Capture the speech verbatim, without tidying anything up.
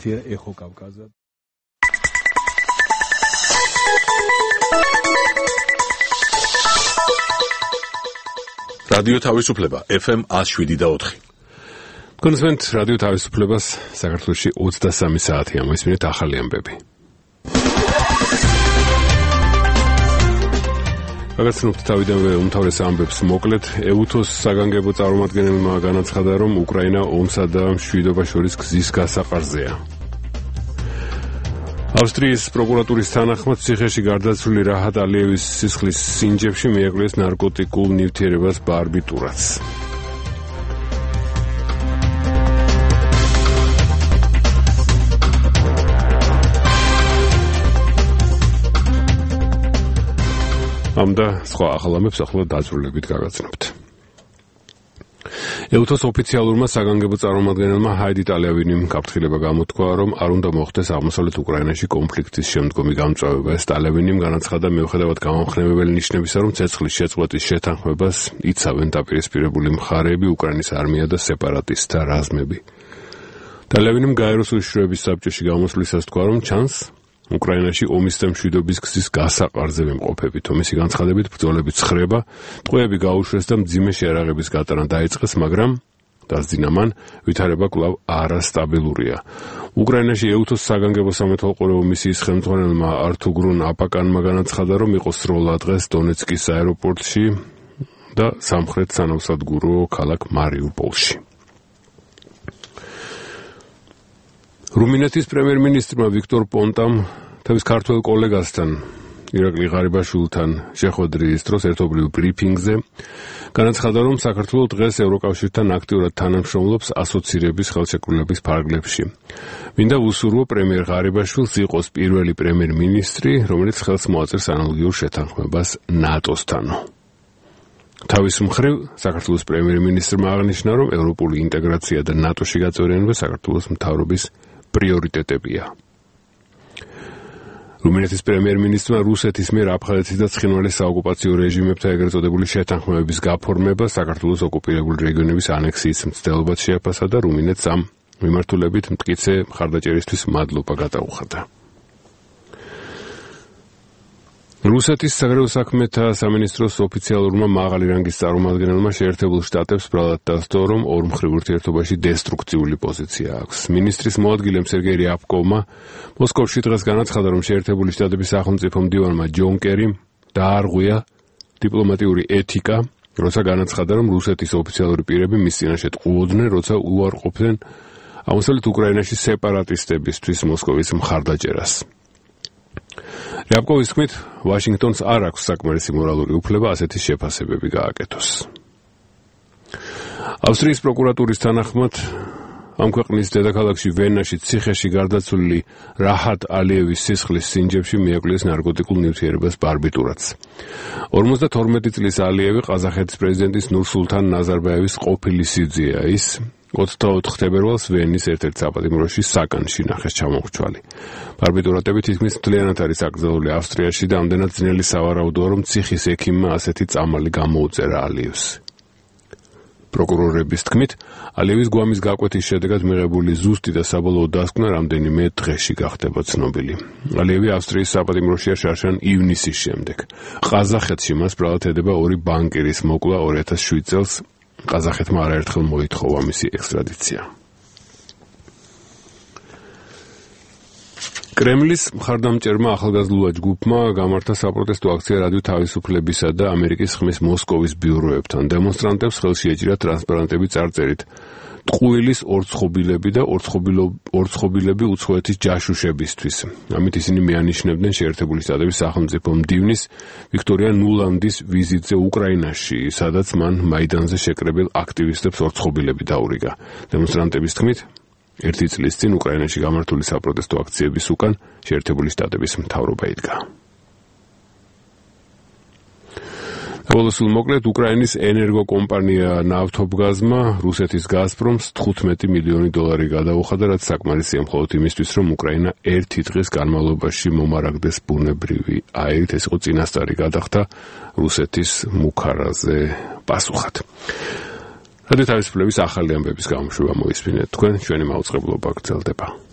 Квартира Эхо Кавказа. რადიო თავისუფლება ეფ ემ one oh seven და four. კონსვენტ რადიო თავისუფლებას საქართველოში ოცდასამი საათი ამოისმინეთ ახალი ამბები. გაგაცნობთ თავიდანვე უმთავრეს ამბებს მოკლედ. ეუთოს საგანგებო წარმომადგენელმა განაცხადა, რომ უკრაინა ომსა და მშვიდობას შორის გზის გასაყარზეა. ავსტრიის პროკურატურის თანახმად ციხეში გარდაცვლილი რაჰად ალიევის სისხლის სინჯებში მიაკვლიეს ნარკოტიკულ ნივთიერებას ბარბიტურაც. ამ და სხვა ახალ ამბებს ახლა დაწვრილებით გაგაცნობთ. ეუთოს ოფიციალურმა საგანგებო წარმომადგენელმა ჰაიდი ტალევინიმ გაფრთხილება გამოთქვა, რომ არ უნდა მოხდეს აღმოსავლეთ უკრაინაში კონფლიქტის შემდგომი გამწვავება. ეს ტალევინიმ განაცხადა, მიუხედავად გამამხნევებელი ნიშნებისა, რომ ცეცხლის შეწყვეტის შეთანხმებას იცავენ დაპირისპირებული მხარეები, უკრაინის არმია და სეპარატისტთა რაზმები. ტალევინიმ გაეროს უშიშროების საბჭოში გამოსვლისას თქვა, რომ ჩანს უკრაინაში ომის და მშვიდობის გზის გასაყარზე ვიმყოფებით. ომისი განცხადებით ბრძოლები ცხრება, ტყვეები გაუშვეს და მძიმე შეარაღების გატანა დაიწყეს, მაგრამ დასძინა მან ვითარება კვლავ არასტაბილურია. უკრაინაში ეუთოს საგანგებო სამეთვალყურეო მისიის ხელმძღვანელმა ართუგრუნ აპაკანმა განაცხადა, რომ იყო სროლა დღეს დონეცკის აეროპორტში და სამხრეთ სანავსადგურო ქალაქ მარიუპოლში. რუმინეთის პრემიერ-მინისტრმა ვიქტორ პონტამ თავის ქართველ კოლეგასთან ირაკლი ღარიბაშვილთან შეხვედრის დროს ერთობლივ ბრიფინგზე განაცხადა, რომ საქართველო დღეს ევროკავშირთან აქტიურად თანამშრომლობს ასოცირების ხელშეკრულების ფარგლებში. მინდა ვუსურვო პრემიერ ღარიბაშვილს იყოს პირველი პრემიერ-მინისტრი, რომელიც ხელს მოაწერს ანალოგიურ შეთანხმებას ნატოსთან. თავის მხრივ საქართველოს პრემიერ-მინისტრმა აღნიშნა, რომ ევროპული ინტეგრაცია და ნატოში გაწევრიანება საქართველოს მთავრობის პრიორიტეტებია. რუმინეთის პრემიერ-მინისტრმა რუსეთის მიერ აფხაზეთის და ცხინვალის საოკუპაციო რეჟიმებთან ეგრეთ წოდებული შეთანხმებების გაფორმება საქართველოს ოკუპირებული რეგიონების ანექსიის მცდელობად შეაფასა და რუმინეთს ამ მიმართულებით მტკიცე მხარდაჭერისთვის მადლობა გადაუხადა. რუსეთის საგარეო საქმეთა სამინისტროს ოფიციალურმა მაღალი რანგის წარმომადგენელმა შეერთებულ შტატებს ბრალად დასდო, რომ ორმხრივ ურთიერთობაში დესტრუქციული პოზიცია აქვს. მინისტრის მოადგილემ სერგეი რიაბკოვმა მოსკოვში დღეს განაცხადა, რომ შეერთებული შტატების სახელმწიფო მდივანმა ჯონ კერიმ დაარღვია დიპლომატიური ეთიკა, როცა განაცხადა, რომ რუსეთის ოფიციალური პირები მის წინაშე ტყუოდნენ, როცა უარყოფდნენ აღმოსავლეთ უკრაინაში სეპარატისტებისთვის მოსკოვის მხარდაჭერას. რიაბკოვის თქმით, ვაშინგტონს არ აქვს საკმარისი მორალური უფლება ასეთი შეფასებები გააკეთოს. ავსტრიის პროკურატურის თანახმად ამ ქვეყნის დედაქალაქში ვენაში ციხეში გარდაცვლილი რაჰად ალიევის სისხლის სინჯებში მიაკვლიეს ნარკოტიკულ ნივთიერებას ბარბიტურაც. ორმოცდათორმეტი წლის ალიევი ყაზახეთის პრეზიდენტის ნურსულთან ნაზარბაევის ყოფილი სიძეა. ის ოცდაოთხ თებერვალს ვენის ერთ-ერთ საპატიმროში საკანში ნახეს ჩამოხრჩვალი. ბარბიტურატები თითქმის მთლიანად არის აკრძალული ავსტრიაში და ამდენად ძნელი სავარაუდოა, რომ ციხის ექიმმა ასეთი წამალი გამოუწერა ალიევს. პროკურორების თქმით, ალიევის გვამის გაკვეთის შედეგად მიღებული ზუსტი და საბოლოო დასკვნა რამდენიმე დღეში გახდება ცნობილი. ალიევი ავსტრიის საპატიმროშია შარშან ივნისის შემდეგ. ყაზახეთში მას ბრალად ედება ორი ბანკირის მოკლა ორი ათას შვიდ წელს. ყაზახეთმა არაერთხელ მოითხოვა მისი ექსტრადიცია. კრემლის მხარდამჭერმა ახალგაზრდულმა ჯგუფმა გამართა საპროტესტო აქცია რადიო თავისუფლებისა და ამერიკის ხმის მოსკოვის ბიუროებთან. დემონსტრანტებს ხელში ეჭირა ტრანსპარანტები წარწერით ტყუილის ორცხობილები და ორცხობილები უცხოეთის ჯაშუშებისთვის. ამით ისინი მიანიშნებდნენ შეერთებული შტატების სახელმწიფო მდივნის ვიქტორია ნულანდის ვიზიტზე უკრაინაში, სადაც მან მაიდანზე შეკრებილ აქტივისტებს ორცხობილები დაურიგა. დემონსტრანტების თქმით, ერთი წლის წინ უკრაინაში გამართული საპროტესტო აქციების უკან შეერთებული შტატების მთავრობა იდგა. ბოლოს მოკლედ უკრაინის ენერგოკომპანია ნავთობგაზმა რუსეთის გაზპრომს თხუთმეტი მილიონი დოლარი გადაუხადა, რაც საკმარისია მხოლოდ იმისთვის, რომ უკრაინა ერთი დღის განმავლობაში მომარაგდეს ბუნებრივი აირით. ეს იყო წინასწარი გადახდა რუსეთის მუქარაზე პასუხად. რადიო თავისუფლების ახალი ამბების გამოშვება მოისმინეთ თქვენ, ჩვენი მაუწყებლობა გრძელდება.